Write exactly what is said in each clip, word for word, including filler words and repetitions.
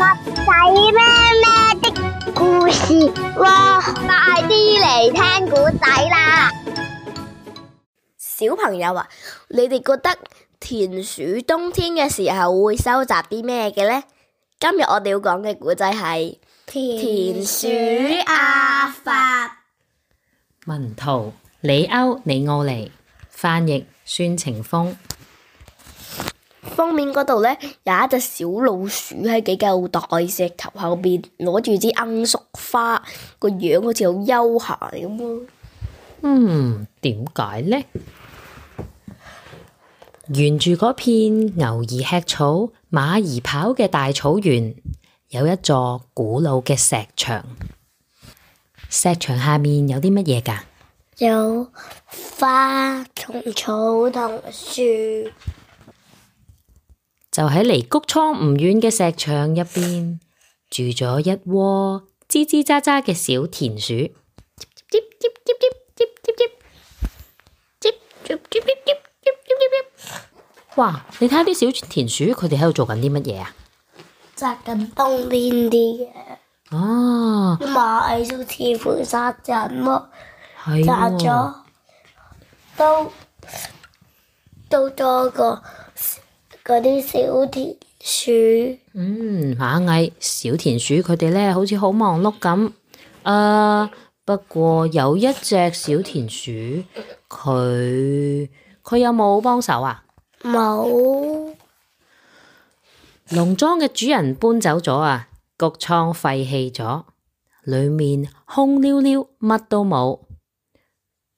仔咩咩的故事喎，快啲嚟聽古仔啦！小朋友啊，你哋覺得田鼠冬天嘅時候會收集啲咩嘅呢？今日我哋要講嘅古仔係田鼠阿發。文圖李歐李奧尼，翻譯孫晴峰。封面嗰度呢，有一隻小老鼠喺幾嚿大石頭後邊攞住支罌粟花，個樣好似好悠閒咁咯。嗯，點解呢？沿住嗰片牛兒吃草、馬兒跑嘅大草原，有一座古老嘅石牆。石牆下面有啲乜嘢㗎？有花同草同樹。就喺離谷倉唔遠嘅石牆入邊，住咗一窩吱吱喳喳嘅小田鼠。哇！你睇下啲小田鼠，佢哋喺度做緊啲乜嘢啊？摘緊冬天啲嘅。哦，馬就似乎殺人喎，係殺咗都都多過嗰啲小田鼠。嗯，螞蟻、小田鼠佢哋咧，好似好忙碌咁。誒，不過有一隻小田鼠，佢佢有冇幫手啊？冇。農莊嘅主人搬走咗啊，谷倉廢棄咗，裏面空溜溜，乜都冇。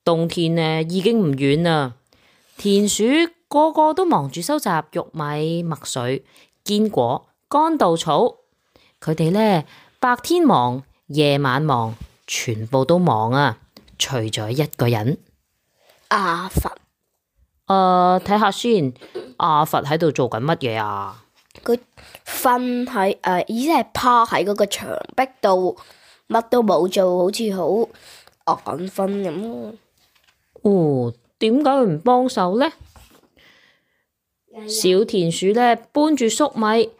冬天呢已經唔遠啦，田鼠個個都忙住收集玉米、麥穗、堅果、乾稻草。佢哋呢白天忙，夜晚忙，全部都忙啊，除咗一個人。阿發。誒，睇下先，阿發喺度做緊乜嘢啊？佢瞓喺誒，意思係趴喺嗰個牆壁度，乜都冇做，好似好眼瞓咁咯。哦，點解佢唔幫手呢？小田鼠呢搬住粟米，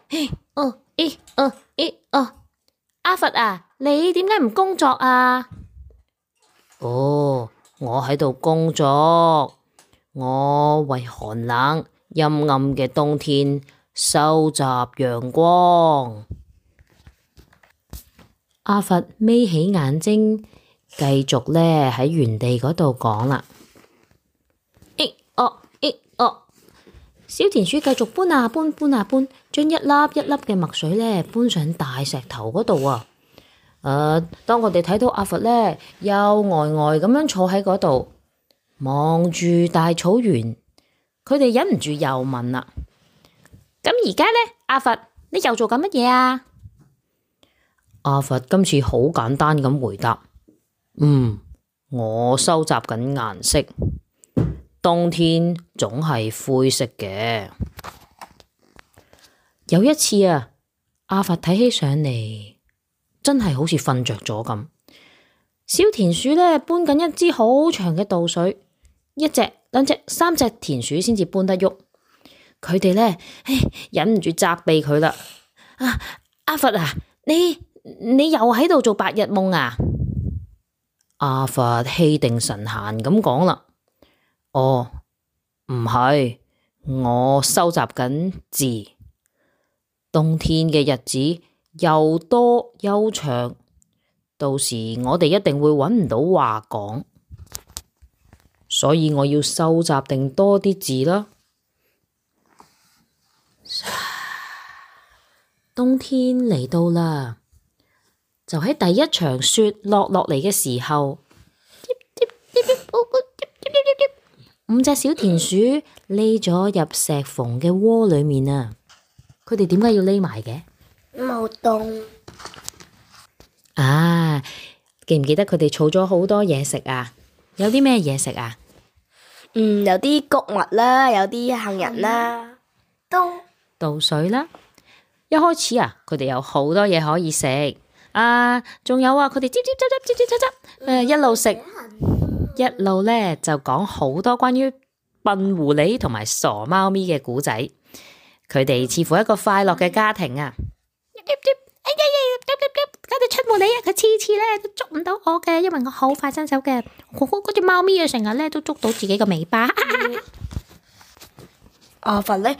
哦，咦，哦，咦，哦，阿發啊，你點解唔工作啊？哦，我喺度工作，我為寒冷陰暗嘅冬天收集陽光。阿發眯起眼睛，繼續呢喺原地嗰度講啦。咦，哦，咦，哦。小田鼠繼續搬啊搬，搬啊搬，將一粒一粒嘅麥穗呢搬上大石頭嗰度啊！誒、呃，當我哋睇到阿發呢，又呆呆咁樣坐喺嗰度，望住大草原，佢哋忍唔住又問啦：咁而家呢，阿發，你又做緊乜嘢啊？阿發今次好簡單咁回答：嗯，我收集緊顏色。冬天總係灰色嘅。有一次啊，阿發睇起上嚟真係好似瞓着咗咁。小田鼠呢搬緊一支好長嘅稻穗，一隻、兩隻、三隻田鼠先至搬得喐。佢哋呢，唉，忍唔住責備佢啦。啊，阿發啊，你你又喺度做白日夢啊？阿發氣定神閒咁講啦。哦，唔係，我收集緊字。冬天嘅日子又多又長，到時我哋一定會揾唔到話講，所以我要收集定多啲字啦。冬天嚟到啦，就喺第一場雪落落嚟嘅時候。五隻小田鼠匿咗入石縫嘅窩裏面啊！佢哋點解要匿埋嘅？冇凍。啊，記唔記得佢哋儲咗好多嘢食啊？有啲咩嘢食啊？嗯，有啲穀物啦，有啲杏仁啦，都稻穗啦。一開始啊，佢哋有好多嘢可以食啊，仲有啊，佢哋吱吱喳喳吱吱喳喳，誒，一路食。一路呢就講好多關於笨狐狸同埋傻貓咪嘅故仔，佢哋似乎一個快樂嘅家庭啊！冇理啊，佢次次咧都捉唔到我嘅，因為我好快伸手嘅。嗰隻貓咪啊，成日咧都捉到自己個尾巴。阿佛咧，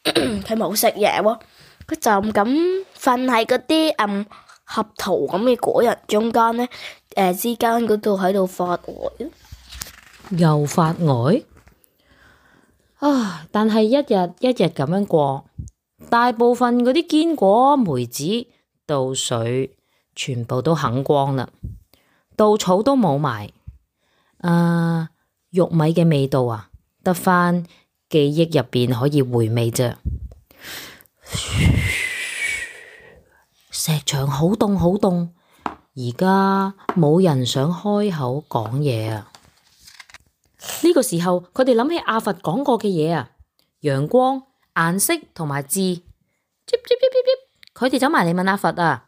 佢冇食嘢喎，佢就咁瞓喺嗰啲嗯合桃咁嘅果仁中間咧，誒、呃、之間嗰度喺度發呆。又發呆啊！但係一日一日咁樣過，大部分嗰啲堅果、梅子、稻穗全部都啃光啦，稻草都冇埋。啊，玉米嘅味道啊，得返記憶入邊可以回味啫。石牆好凍好凍，而家冇人想開口講嘢啊！呢個時候，佢哋諗起阿佛講過嘅嘢啊，陽光、顏色同埋字。佢哋走埋嚟問阿佛啊，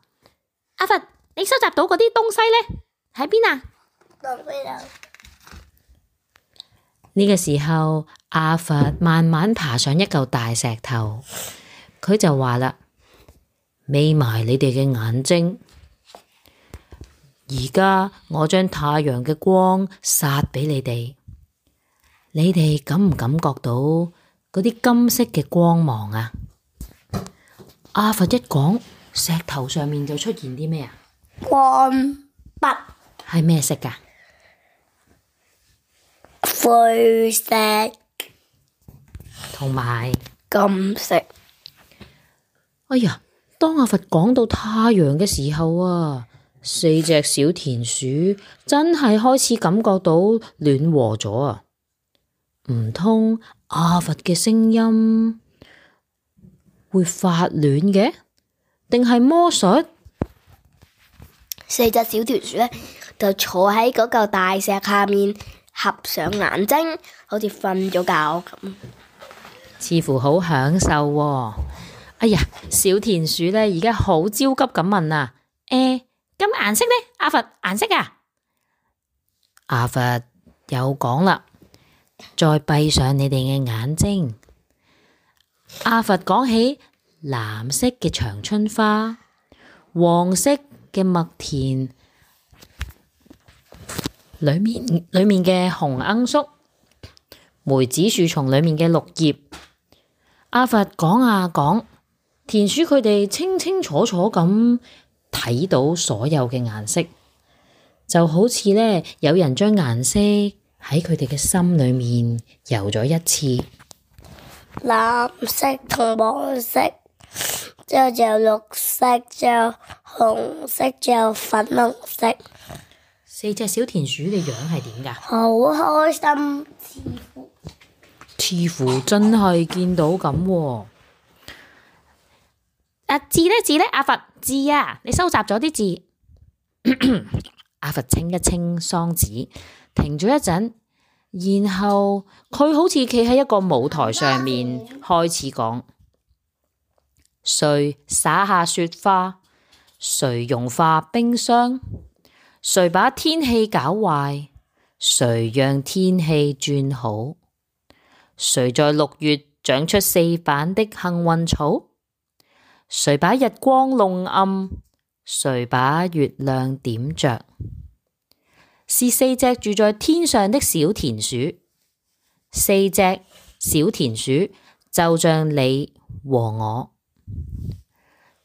阿佛，你收集到嗰啲東西呢？喺邊啊？呢個時候，阿佛慢慢爬上一嚿大石頭，佢就話啦：眯埋你哋嘅眼睛，而家我將太陽嘅光灑俾你哋。你哋感唔感覺到嗰啲金色嘅光芒啊？阿佛一講，石頭上面就出現啲咩啊？光筆係咩色噶？灰色同埋金色。哎呀，當阿佛講到太陽嘅時候啊，四隻小田鼠真係開始感覺到暖和咗啊！唔通阿佛嘅聲音會發暖嘅，定係魔術？四隻小田鼠咧就坐喺嗰嚿大石下面，合上眼睛，好似瞓咗覺咁，似乎好享受喎。哎呀，小田鼠咧而家好焦急咁問啊，誒，咁顏色呢？阿佛，顏色啊？阿佛又講啦。再閉上你哋嘅眼睛。阿佛講起藍色嘅長春花，黃色嘅麥田裏面裏面嘅紅罌粟，梅子樹叢裏面嘅綠葉。阿佛講啊講，田鼠佢哋清清楚楚咁睇到所有嘅顏色，就好似呢有人將顏色喺佢哋嘅心裏面游咗一次。藍色同黃色，之後就有綠色，之後紅色，之後粉紅色。四隻小田鼠嘅樣係點㗎？好開心，似乎似乎真係見到咁喎。啊，字呢？字呢？阿佛，字啊，你收集咗啲字。阿佛清一清嗓子，停咗一陣，然後佢好似企喺一個舞台上面，開始講：誰灑下雪花？誰融化冰霜？誰把天氣搞壞？誰讓天氣轉好？誰在六月長出四瓣的幸運草？誰把日光弄暗？誰把月亮點着？是四隻住在天上的小田鼠，四隻小田鼠就像你和我。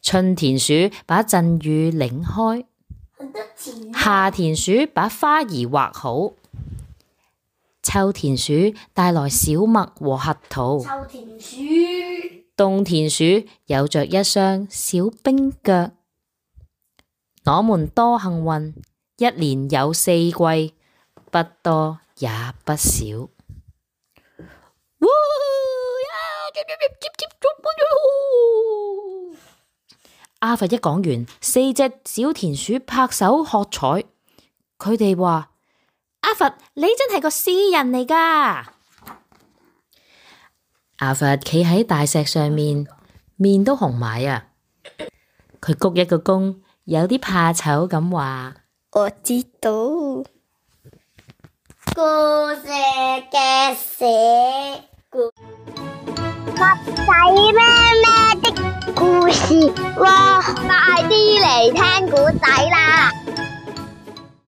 春田鼠把陣雨擰開，夏田鼠把花兒畫好，秋田鼠帶來小麥和核桃，秋田鼠，冬田鼠有着一雙小冰腳。我們多幸運，一年有四季，不多也不少。阿佛一講完，四隻小田鼠拍手喝彩。佢哋話：阿佛，你真係個詩人嚟㗎！阿佛企喺大石上面，面都紅埋啊！佢鞠一個躬，有啲怕醜咁話：我知道。故事嘅寫故仔咩咩的故事喎，快啲嚟聽故仔啦！